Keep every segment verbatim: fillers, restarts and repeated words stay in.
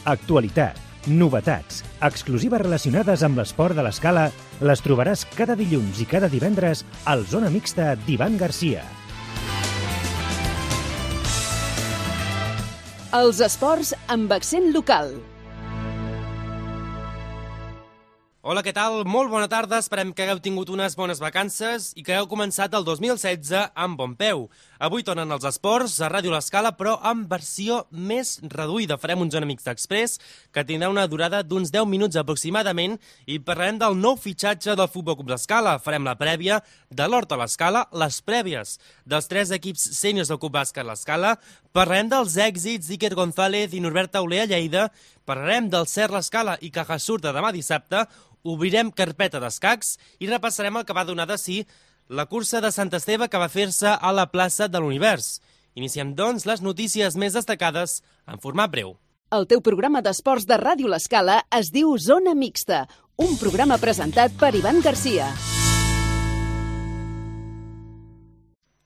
Actualitat, novetats, exclusives relacionades amb l'esport de l'Escala les trobaràs cada dilluns i cada divendres al Zona Mixta d'Ivan Garcia. Els esports amb accent local. Hola, què tal? Molt bona tarda, esperem que hagueu tingut unes bones vacances i que hagueu començat el dos mil setze amb bon peu. Avui tornen els esports a Ràdio L'Escala, però amb versió més reduïda. Farem un Zona Mixta Express que tindrà una durada d'uns deu minuts aproximadament i parlarem del nou fitxatge del Futbol Club L'Escala. Farem la prèvia de l'Horta L'Escala, les prèvies dels tres equips sèniors del Club Bàsquet L'Escala, parlarem dels èxits d'Iker González i Norbert Tauler a Lleida, parlarem del Cert L'Escala i Caja Surta demà dissabte, obrirem carpeta d'escacs i repassarem el que va donar de si la cursa de Sant Esteve que va fer-se a la plaça de l'Univers. Iniciem, doncs, les notícies més destacades en format breu. El teu programa d'esports de Ràdio L'Escala es diu Zona Mixta, un programa presentat per Ivan Garcia.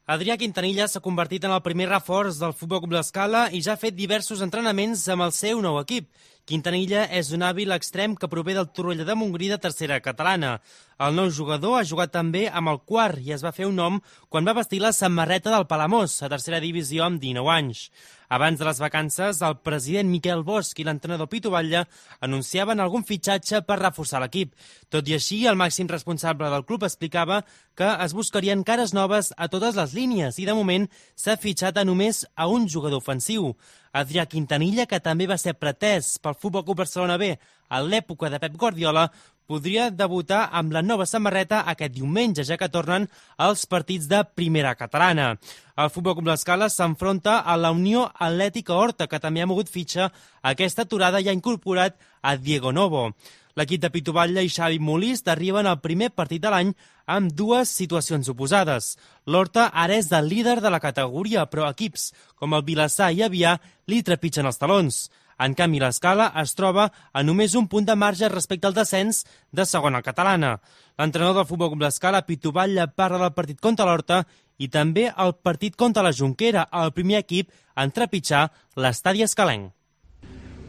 Adrià Quintanilla s'ha convertit en el primer reforç del Futbol Club L'Escala i ja ha fet diversos entrenaments amb el seu nou equip. Quintanilla és un hàbil extrem que prové del Torroella de Montgrí de tercera catalana. El nou jugador ha jugat també amb el quart i es va fer un nom quan va vestir la samarreta del Palamós, a tercera divisió amb dinou anys. Abans de les vacances, el president Miquel Bosch i l'entrenador Pitu Batlle anunciaven algun fitxatge per reforçar l'equip. Tot i així, el màxim responsable del club explicava que es buscarien cares noves a totes les línies i, de moment, s'ha fitxat a només a un jugador ofensiu. Adrià Quintanilla, que també va ser pretès pel Futbol Club Barcelona B a l'època de Pep Guardiola, podria debutar amb la nova samarreta aquest diumenge, ja que tornen els partits de primera catalana. El Futbol Club L'Escala s'enfronta a la Unió Atlètica Horta, que també ha mogut fitxa aquesta aturada i ha incorporat a Diego Novo. L'equip de Pitu Batlle i Xavi Molist arriben al primer partit de l'any amb dues situacions oposades. L'Horta ara és el líder de la categoria, però equips com el Vilassar i Avià li trepitgen els talons. En canvi, l'Escala es troba a només un punt de marge respecte al descens de segona catalana. L'entrenador del Futbol Club L'Escala, Pitu Batlle, parla del partit contra l'Horta i també el partit contra la Jonquera, el primer equip en trepitjar l'estadi escalenc.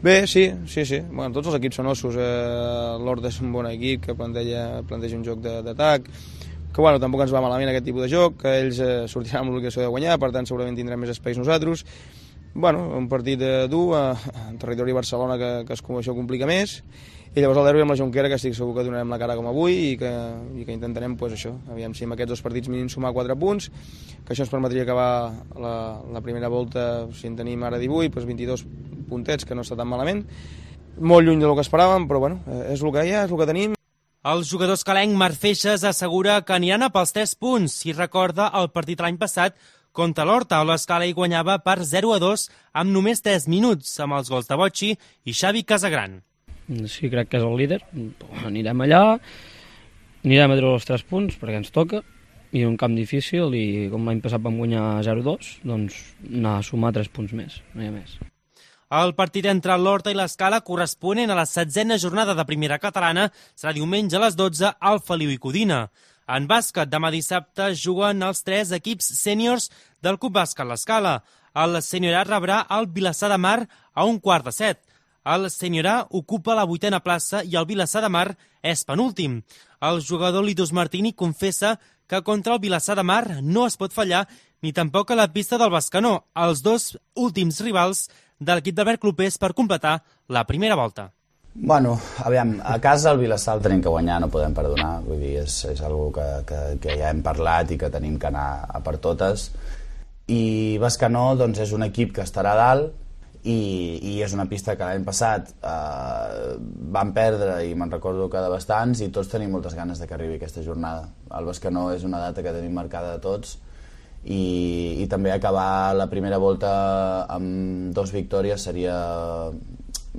Bé, sí, sí, sí. Bueno, tots els equips són ossos. Eh, L'Horta és un bon equip que planteja, planteja un joc d'atac, que bueno, tampoc ens va malament aquest tipus de joc, que ells eh, sortiran amb l'obligació de guanyar, per tant segurament tindrem més espais nosaltres. Bueno, un partit eh, dur eh, en territori de Barcelona que, que es, això complica més, i llavors el derbi amb la Jonquera, que estic segur que donarem la cara com avui i que, i que intentarem, pues, això, aviam si amb aquests dos partits mínims sumar quatre punts, que això ens permetria acabar la, la primera volta, si en tenim ara divuit, pues vint-i-dos puntets, que no està tan malament, molt lluny del que esperàvem, però bueno, és el que hi ha, és el que tenim. El jugador escalenc Marc Feixes assegura que aniran a pels tres punts i recorda el partit l'any passat contra l'Horta, on l'Escala hi guanyava per zero a dos amb només tres minuts, amb els gols de Bocci i Xavi Casagran. Sí, crec que és el líder. Anirem allà, anirem a treure els tres punts, perquè ens toca, i un camp difícil, i com l'any passat vam guanyar zero a dos, doncs anar a sumar tres punts més, no hi ha més. El partit entre l'Horta i l'Escala, corresponent a la setzena jornada de primera catalana, serà diumenge a les dotze al Feliu i Codina. En bàsquet, demà dissabte juguen els tres equips sèniors del Club Bàsquet L'Escala. El seniorat rebrà el Vilassar de Mar a un quart de set. El seniorat ocupa la vuitena plaça i el Vilassar de Mar és penúltim. El jugador Litus Martini confessa que contra el Vilassar de Mar no es pot fallar ni tampoc a la pista del Bescanó, els dos últims rivals de l'equip d'Albert Clopés per completar la primera volta. Bueno, aviam, a casa el Vilassar el tenim que guanyar, no podem perdonar, vull dir, és, és una que, que, que ja hem parlat i que tenim que anar a per totes. I Bescanó, doncs, és un equip que estarà a dalt i, i és una pista que l'any passat eh, van perdre i me'n recordo que de bastants, i tots tenim moltes ganes de que arribi aquesta jornada. El Bescanó és una data que tenim marcada de tots, i, i també acabar la primera volta amb dos victòries seria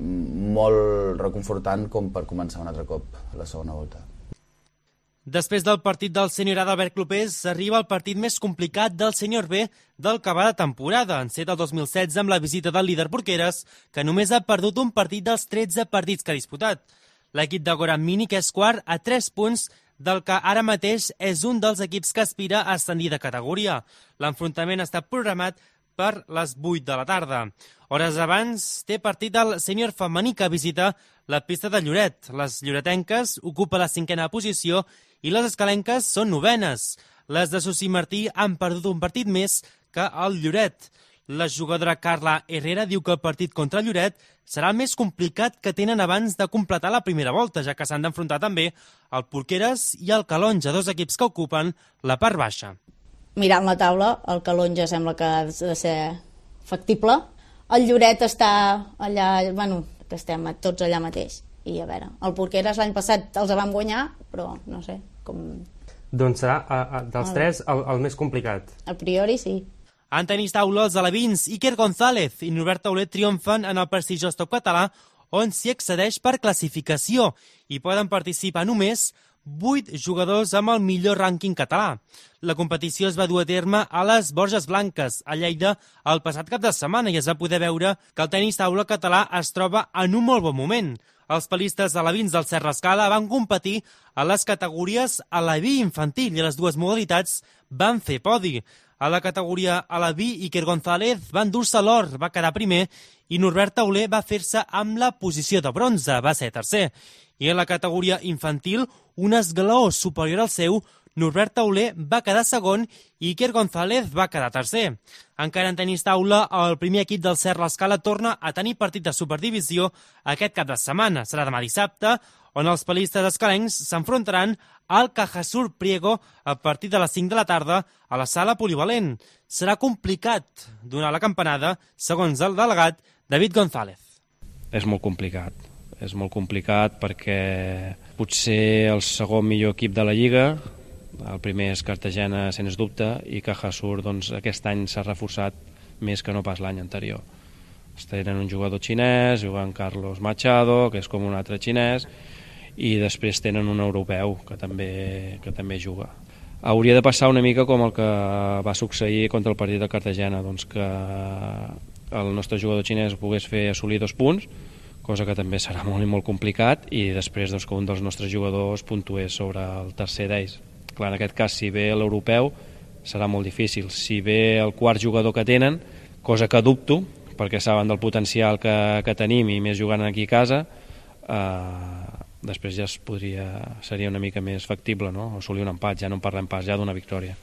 molt reconfortant com per començar un altre cop la segona volta. Després del partit del seniorat d'Albert Clopés arriba el partit més complicat del sènior B del que va de temporada, encet el dos mil setze amb la visita del líder Porqueres, que només ha perdut un partit dels tretze partits que ha disputat. L'equip de Goran Mini, que és quart a tres punts del que ara mateix és un dels equips que aspira a ascendir de categoria. L'enfrontament està programat per les vuit de la tarda. Hores abans té partit el sènior femení que visita la pista de Lloret. Les lloretenques ocupen la cinquena posició i les escalenques són novenes. Les de Susi Martí han perdut un partit més que el Lloret. La jugadora Carla Herrera diu que el partit contra Lloret serà el més complicat que tenen abans de completar la primera volta, ja que s'han d'enfrontar també el Porqueres i el Calonja, dos equips que ocupen la part baixa. Mirant la taula, el Calonja sembla que ha de ser factible. El Lloret està allà, bueno, que estem tots allà mateix. I a veure, el Porqueres l'any passat els vam guanyar, però no sé, com... Doncs serà, a, a, dels el... tres, el, el més complicat. A priori, sí. En tenis taula, els alevins Iker González i Norbert Tauler triomfen en el prestigiós top català, on s'hi accedeix per classificació i poden participar només vuit jugadors amb el millor rànquing català. La competició es va dur a terme a les Borges Blanques, a Lleida, el passat cap de setmana, i es va poder veure que el tenis taula català es troba en un molt bon moment. Els palistes alevins del Serra Escala van competir a les categories aleví infantil i a les dues modalitats van fer podi. A la categoria aleví, Iker González va endur-se l'or, va quedar primer, i Norbert Tauler va fer-se amb la posició de bronze, va ser tercer. I en la categoria infantil, un esglaó superior al seu, Norbert Tauler va quedar segon i Iker González va quedar tercer. Encara en tenis taula, el primer equip del Serra Escala torna a tenir partit de superdivisió aquest cap de setmana. Serà demà dissabte, on els palistes escalencs s'enfrontaran al Cajasur Priego a partir de les cinc de la tarda a la sala polivalent. Serà complicat donar la campanada, segons el delegat David González. És molt complicat. És molt complicat perquè potser el segon millor equip de la Lliga, el primer és Cartagena, sens dubte, i Cajasur doncs, aquest any s'ha reforçat més que no pas l'any anterior. Tenen un jugador xinès, jugant Carlos Machado, que és com un altre xinès, i després tenen un europeu que també, que també juga. Hauria de passar una mica com el que va succeir contra el partit de Cartagena, doncs que el nostre jugador xinès pogués fer assolir dos punts, cosa que també serà molt i molt complicat, i després doncs, que un dels nostres jugadors puntués sobre el tercer d'ells. Clar, en aquest cas, si ve l'europeu, serà molt difícil. Si ve el quart jugador que tenen, cosa que dubto, perquè saben del potencial que, que tenim i més jugant aquí a casa, eh, després ja es podria, seria una mica més factible, no? Assolir un empat, ja no en parlem pas, ja d'una victòria.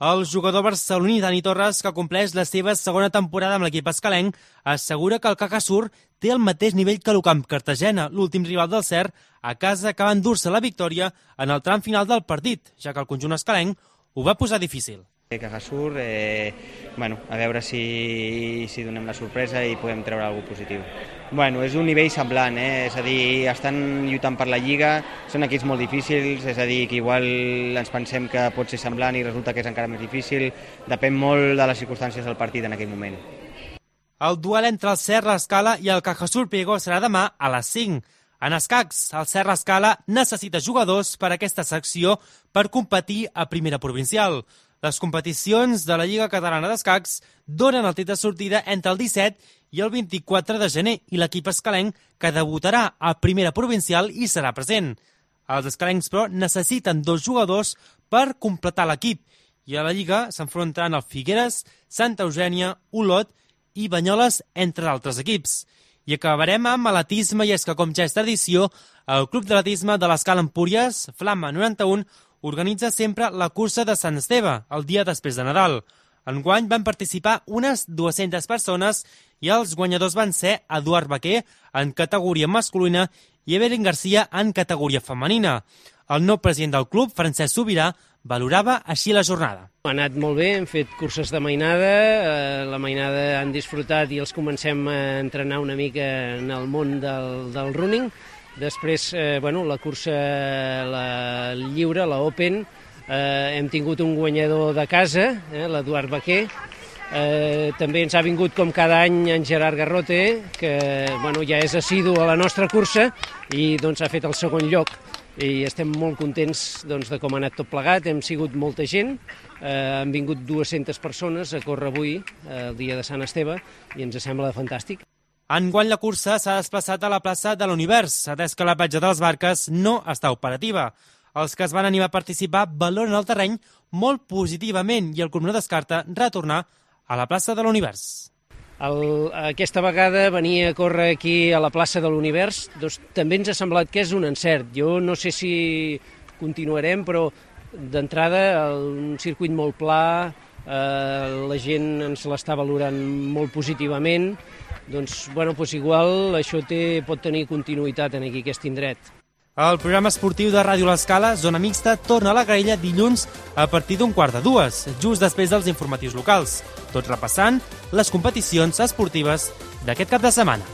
El jugador barceloní Dani Torres, que compleix la seva segona temporada amb l'equip escalenc, assegura que el Cajasur té el mateix nivell que l'Ucamp Cartagena, l'últim rival del Cer, a casa que va endur-se la victòria en el tram final del partit, ja que el conjunt escalenc ho va posar difícil. Cajasur, eh, bueno, a veure si, si donem la sorpresa i podem treure alguna cosa positiu. Bueno, és un nivell semblant, eh? És a dir, estan lluitant per la Lliga, són equips molt difícils, és a dir, que igual ens pensem que pot ser semblant i resulta que és encara més difícil, depèn molt de les circumstàncies del partit en aquell moment. El duel entre el Serra Escala i el Cajasur Priego serà demà a les cinc. En escacs, el Serra Escala necessita jugadors per a aquesta secció per competir a primera provincial. Les competicions de la Lliga Catalana d'Escacs donen el tret de sortida entre el disset i el vint-i-quatre de gener i l'equip escalenc que debutarà a primera provincial i serà present. Els escalencs, però, necessiten dos jugadors per completar l'equip i a la Lliga s'enfrontaran el Figueres, Santa Eugènia, Olot i Banyoles, entre altres equips. I acabarem amb atletisme, i és que, com ja és tradició, el Club d'Atletisme de l'Escala Empúries, Flama noranta-u, organitza sempre la cursa de Sant Esteve, el dia després de Nadal. Enguany van participar unes dues-centes persones i els guanyadors van ser Eduard Baquer en categoria masculina i Evelyn Garcia en categoria femenina. El nou president del club, Francesc Sobirà, valorava així la jornada. Ha anat molt bé, hem fet curses de mainada, eh, la mainada han disfrutat i els comencem a entrenar una mica en el món del, del running. Després, eh, bueno, la cursa la lliure, la Open, eh, hem tingut un guanyador de casa, eh, l'Eduard Baquer. Eh, també ens ha vingut, com cada any, en Gerard Garrote, que bueno, ja és assidu a la nostra cursa i doncs, ha fet el segon lloc. I estem molt contents doncs, de com ha anat tot plegat, hem sigut molta gent, eh, han vingut dues-centes persones a córrer avui, eh, el dia de Sant Esteve, i ens sembla fantàstic. Enguany la cursa s'ha desplaçat a la plaça de l'Univers, atès que la platja de les Barques no està operativa. Els que es van animar a participar valoren el terreny molt positivament i el club no descarta retornar a la plaça de l'Univers. El, aquesta vegada venir a córrer aquí a la plaça de l'Univers doncs, també ens ha semblat que és un encert. Jo no sé si continuarem, però d'entrada un circuit molt pla, eh, la gent ens l'està valorant molt positivament, doncs, bueno, doncs igual això té, pot tenir continuïtat en aquí aquest indret. El programa esportiu de Ràdio L'Escala, Zona Mixta, torna a la graella dilluns a partir d'un quart de dues, just després dels informatius locals, tot repassant les competicions esportives d'aquest cap de setmana.